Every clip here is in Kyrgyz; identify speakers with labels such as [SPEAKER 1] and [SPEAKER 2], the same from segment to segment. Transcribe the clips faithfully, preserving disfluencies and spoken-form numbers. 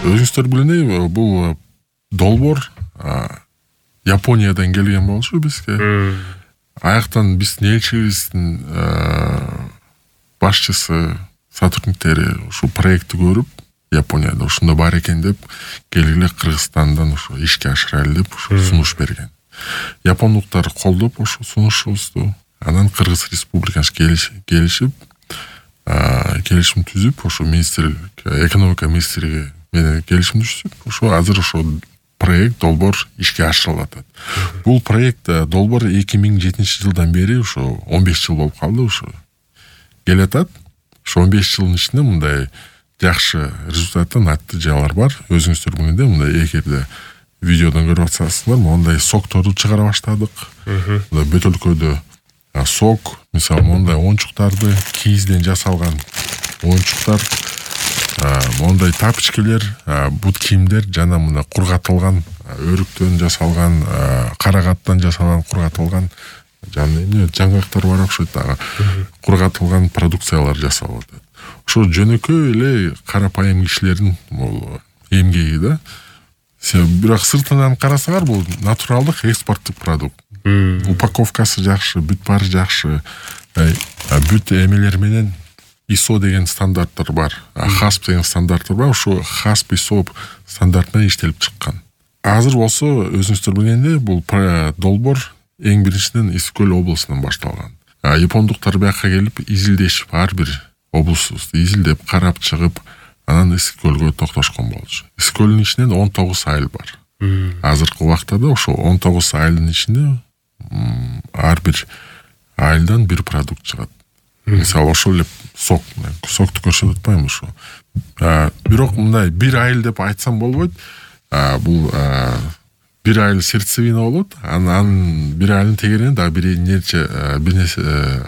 [SPEAKER 1] Өзүңүздөр билгендей бул долбоор Япониядан келген болчу бизге. Аяктан биздин элчибиздин башчысы, сотрудниктери ушу проектти көрүп, Японияда ушунда бар экен деп, келгиле Кыргызстандан ушу ишке ашырайлы деп ушу сунуш берген. Япондуктар колдоп ушу сунушубузду, анан Кыргыз Республикасы келишип, келишим түзүп, ушу министрлик, экономика министрлиги менен келишим түзүп, ушу азыр ушу проект долбоор ишке ашырылып атат. Бул проект долбоор эки миң жетинчи жылдан бери ушу он беш жыл болуп калды ушу. Келатат. Ушу он беш жылдын ичинде мындай жакшы результаты, натыйжалар бар. Өзүңүздөр билгендей, мындай эгерде видеодон көрүп атсаңыздар, мондай сокторду чыгара баштадык. Мындай бөтөлкөдө сок, мисалы мондай оюнчуктарды, кийизден жасалган оюнчуктар, мондай тапочкелер, бут кийимдер жана мына кургатылган, өрүктөн жасалган, карагаттан жасалган кургатылган жана эмне жаңгактар бар окшойт дагы. Кургатылган продукциялар жасалып атат. Ошо жөнөкөй эле карапайым кишилердин бул эмгеги да. Бирок сыртынан карасаңар, бул натуралдык экспорттук продукт. Упаковкасы жакшы, бүт баары жакшы. Бүт эмелер менен ай эс о деген стандарттар бар. хасп деген стандарттар бар. Ошо хасп ай эс о стандарт менен иштелип чыккан. Азыр болсо өзүңүздөр билгендей, бул долбоор эң биринчиден Эски көл облусунан башталган. Япондуктар бияка келип изилдешип, ар бир облустубузду изилдеп, карап чыгып, анан Эски көлгө токтошкон болчу. Эски көлдүн ичинен он тогуз айыл бар. Азыркы убакта да ошо он тогуз айылдын ичинде ар бир айылдан бир продукт чыгат. Мисалы ошол эле сок, сокту көрсөтүп атпайм ошо. Бирок мындай бир айыл деп айтсам болбойт. Бул бир айыл сердцевина болот, анан бир айылдын тегерине дагы бир нече бир нерсе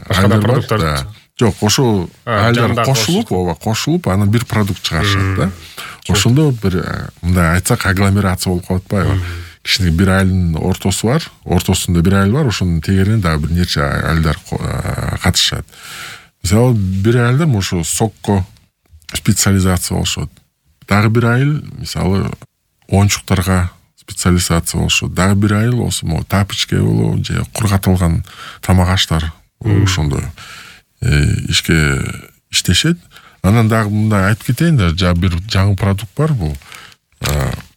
[SPEAKER 1] айылдар бар. Жок, ошо айылдар кошулуп, ооба, кошулуп, анан бир продукт чыгарышат да. Ошондо бир мындай айтсак агломерация болуп калып атпайбы? Кичине бир айылдын ортосу бар, ортосунда бир айыл бар, ошонун тегерине дагы бир нече айылдар катышат. Мисалы бир айылдар ошо сокко специализация болушат. Дагы бир айыл, мисалы, оюнчуктарга специализация болушат. Дагы бир айыл болсо, мо тапочке болобу, же кургатылган тамак аштар ошондой ишке иштешет. Анан дагы мындай айтып кетейин да, жа бир жаңы продукт бар, бул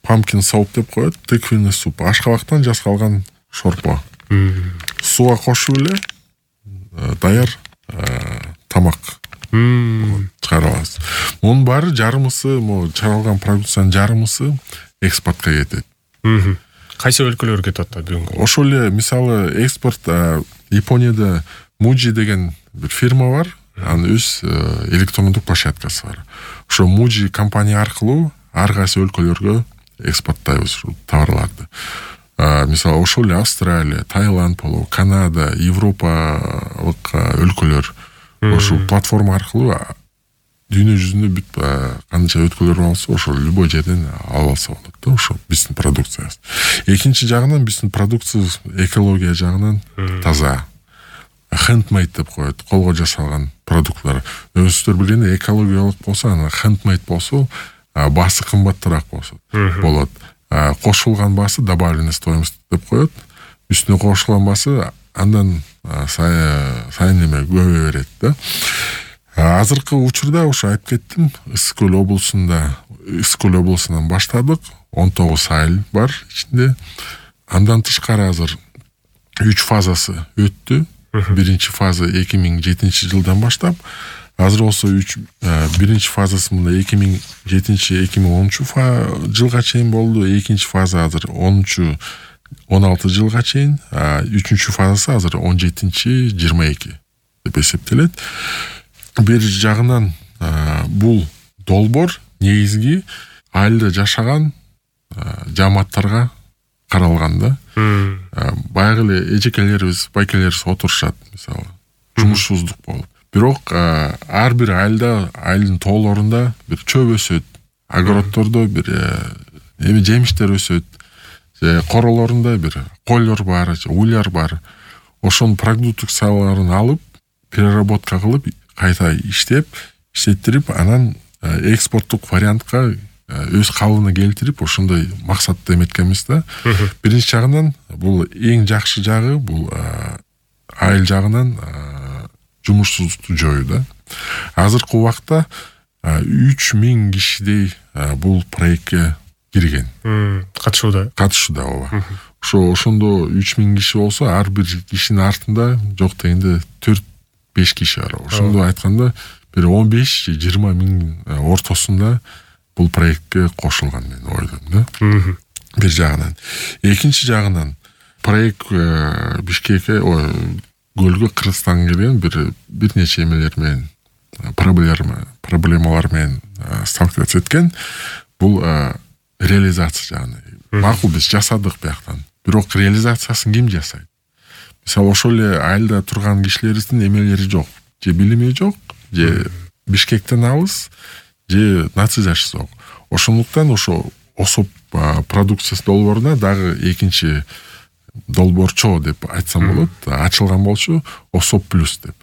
[SPEAKER 1] pumpkin soup деп коет, тыквенный суп, ашкабактан жасалган шорпо. Суга кошуп эле даяр тамак чыгара аласыз. Мунун баары жарымысы, мо чыгарылган продукциянын жарымысы экспортко кетет.
[SPEAKER 2] Кайсы өлкөлөргө кетет да бүгүнкү?
[SPEAKER 1] Ошол эле, мисалы, экспорт Японияда Muji деген бир фирма бар, анын өз электрондук площадкасы бар. Ошо Muji компания аркылуу ар кайсы өлкөлөргө экспорттайбыз товарларды. Мисалы, ошол эле Австралия, Таиланд болобу, Канада, Европалык өлкөлөр ошол платформа аркылуу дүйнө жүзүндө бүт канча өткөлөр болсо, ошол любой жерден алып алса болот да, ошо биздин продукциябыз. Экинчи жагынан биздин продукциябыз экология жагынан таза. Handmade деп коет, колго жасалган продуктлар. Өзүңүздөр билгендей, экологиялык болсо, анан handmade болсо, баасы кымбатыраак болот. Кошулган баасы добавленная стоимость деп коет. Үстүнө кошулган баасы андан сайын эме көбөйө берет да. Азыркы учурда ошо айтып кеттим, Эски көл облусунда, Эски көл облусунан баштадык, он тогуз айыл бар ичинде. Андан тышкары азыр үч фазасы өттү. Биринчи фаза эки миң жетинчи жылдан баштап, азыр болсо үч биринчи фазасы мында эки миң жетинчи эки миң онунчу жылга чейин болду. Экинчи фаза азыр онунчу он алты жылга чейин, үчүнчү фазасы азыр он жетинчи жыйырма эки деп эсептелет. Бир жагынан бул долбоор негизги айылда жашаган жамааттарга каралган да. Баягы эле эжекелерибиз, байкелерибиз отурушат, мисалы, жумушсуздук болуп. Бирок ар бир айылда, айылдын тоолорунда бир чөп өсөт, огороддордо бир эми жемиштер өсөт, же королорунда бир койлор бар, же уйлар бар. Ошонун продукцияларын алып, переработка кылып, кайта иштеп, иштеттирип, анан экспорттук вариантка өз калыбына келтирип ошондой максатты эметкенбиз да. Биринчи жагынан бул эң жакшы жагы бул айыл жагынан жумушсуздукту жоюу да. Азыркы убакта үч миң кишидей бул проектке кирген.
[SPEAKER 2] Катышууда.
[SPEAKER 1] Катышууда ооба. Ошо ошондо үч миң киши болсо, ар бир кишинин артында жок дегенде төрт беш киши бар. Ошондо айтканда бир он беш же жыйырма миң ортосунда бул проектке кошулган мен ойлойм да. Бир жагынан. Экинчи жагынан проект Бишкекке, Көлгө, Кыргызстанга келген бир бир нече эмелер менен проблема проблемалар менен сталкиваться эткен. Бул реализация жагынан. Макул биз жасадык бияктан. Бирок реализациясын ким жасайт? Мисалы ошол эле айылда турган кишилерибиздин эмелери жок, же билими жок, же Бишкектен алыс, же нацизаш жок. Ошондуктан ошо осоп продукциясы долбооруна дагы экинчи долбоорчо деп айтсам болот, ачылган болчу Осоп плюс деп.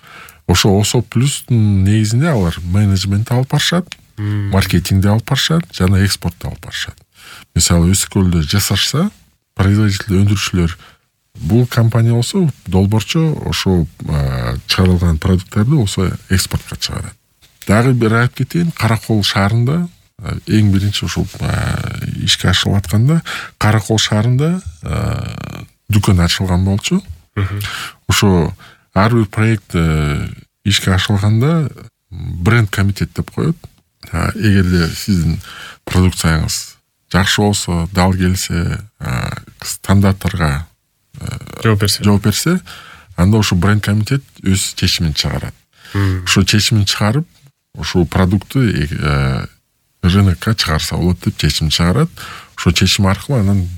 [SPEAKER 1] Ошо Осоп плюстун негизинде алар менеджмент алып барышат, маркетингди алып барышат, жана экспортду алып барышат. Мисалы Өскөлдө жасашса, производитель өндүрүүчүлөр бул компания болсо, долбоорчу ошо чыгарылган продукттарды болсо экспортко чыгарат. Дагы бир айтып кетейин, Каракол шаарында эң биринчи ошо ишке ашырылып атканда Каракол шаарында дүкөн ачылган болчу. Ошо ар бир проект ишке ашырылганда бренд комитет деп коет. Эгерде сиздин продукцияңыз жакшы болсо, дал келсе, стандарттарга
[SPEAKER 2] жооп берсе,
[SPEAKER 1] жооп берсе, анда ошо бренд комитет өз чечимин чыгарат. Ошо чечимин чыгарып, ошо продуктты рынокко чыгарса болот деп чечим чыгарат. Ошо чечим аркылуу анан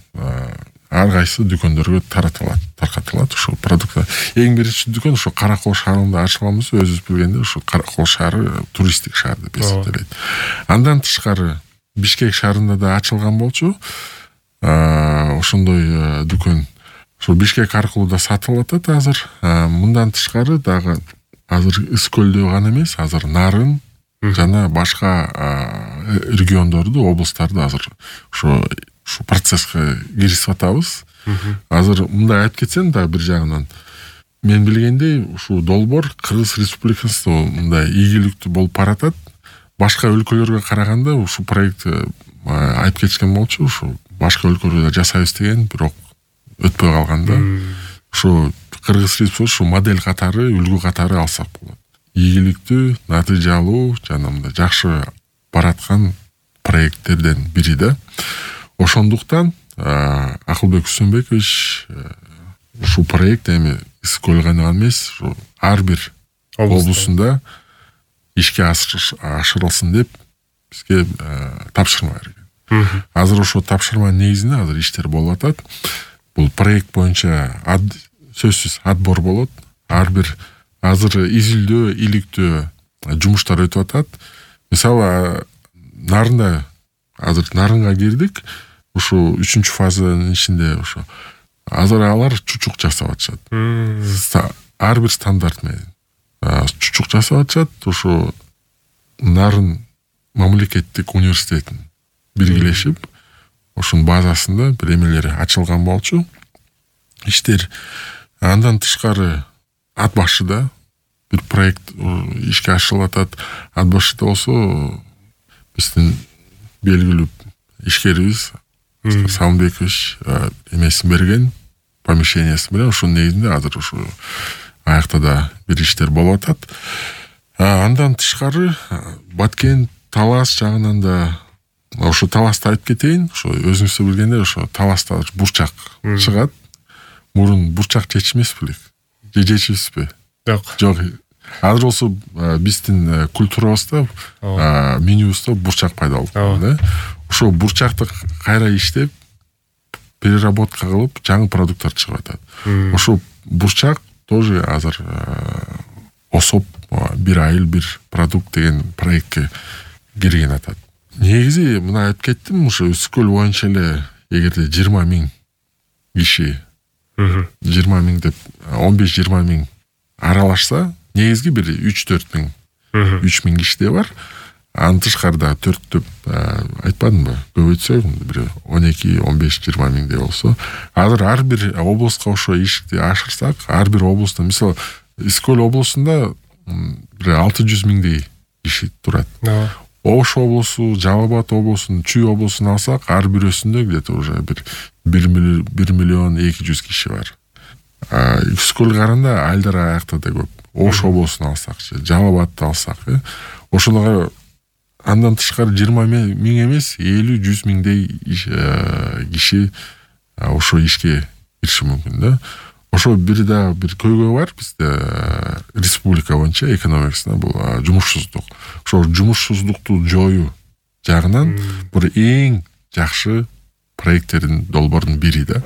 [SPEAKER 1] ар кайсы дүкөндөргө таратылат, таркатылат ошо продукт. Эң биринчи дүкөн ошо Каракол шаарында ачылганбыз, өзүбүз билгенде ошо Каракол шаары туристтик шаар деп эсептелет. Андан тышкары Бишкек шаарында да ачылган болчу. Ошондой дүкөн ошо Бишкек аркылуу да сатылып атат азыр. Мындан тышкары дагы азыр Ыскөлдө гана эмес, азыр Нарын жана башка региондорду, облустарды азыр ошо ушу процесске киришип атабыз. Азыр мындай айтып кетсем да бир жагынан мен билгендей ушу долбоор Кыргыз Республикасында мындай ийгиликтүү болуп баратат. Башка өлкөлөргө караганда ушу проект айтып кетишкен болчу, ушу башка өлкөлөрдө жасайбыз деген, бирок өтпөй калганда ушу Кыргыз Республикасы модель катары, үлгү катары алсак болот. Ийгиликтүү, натыйжалуу жана мындай жакшы бараткан проекттерден бири да. Ошондуктан Акылбек Үсөнбекович ушу проект эми Ыскөл гана эмес, ар бир облусунда ишке ашырылсын деп бизге тапшырма берген. Азыр ошо тапшырманын негизинде азыр иштер болуп атат. Бул проект боюнча сөзсүз отбор болот. Ар бир азыр изилдөө, иликтөө жумуштар өтүп атат. Мисалы Нарында азыр Нарынга кирдик. Ушу үчүнчү фазанын ичинде ошо азыр алар чучук жасап атышат. Ар бир стандарт менен чучук жасап атышат. Ошо Нарын мамлекеттик университетин биргелешип, ошонун базасында бир эмелери ачылган болчу. Иштер андан тышкары Ат башыда бир проект ишке ашырылып атат. Ат башыда болсо биздин белгилүү ишкерибиз Салымбекович эмесин берген, помещениясын берген. Ошонун негизинде азыр ушу аякта да бир иштер болуп атат. Андан тышкары Баткен, Талас жагынан да ошо Таласты айтып кетейин. Ошо өзүңүз билгендей ошо Таласта бурчак чыгат. Мурун бурчак чечмес белек. Же чечипсизби?
[SPEAKER 2] Жок.
[SPEAKER 1] Жок. Азыр болсо биздин культурабызда, менюбузда бурчак пайда болду, да? Ошо бурчакты кайра иштеп, переработка кылып, жаңы продукттар чыгып атат. Ошо бурчак тоже азыр Осоп бир айыл бир продукт деген проектке кирген атат. Негизи мына айтып кеттим, ошо Үскөл боюнча эле эгерде жыйырма миң киши, жыйырма миң деп он беш жыйырма миң аралашса, негизги бир үч төрт миң, үч миң кишиде бар. Анын тышкары дагы төрттөп айтпадымбы, көбөйтсөк бир он эки он беш жыйырма миңдей болсо, азыр ар бир облустка ошо ишти ашырсак, ар бир облустун, мисалы Искөл облусунда бир алты жүз миңдей киши турат. Ош облусу, Жалал Абад облусунун, Чүй облусун алсак, ар бирөөсүндө где-то уже бир бир миллион эки жүз киши бар. Искөл каранда Айдар аякта да көп. Ош облусун алсакчы, Жалал Абадты алсак, ошолорго андан тышкары жыйырма миң эмес, элүү жүз миңдей киши ошо ишке кириши мүмкүн да. Ошо бир да бир көйгөй бар бизде республика боюнча экономикасында, бул жумушсуздук. Ошо жумушсуздукту жоюу жагынан бир эң жакшы проекттердин долбоорунун бири да.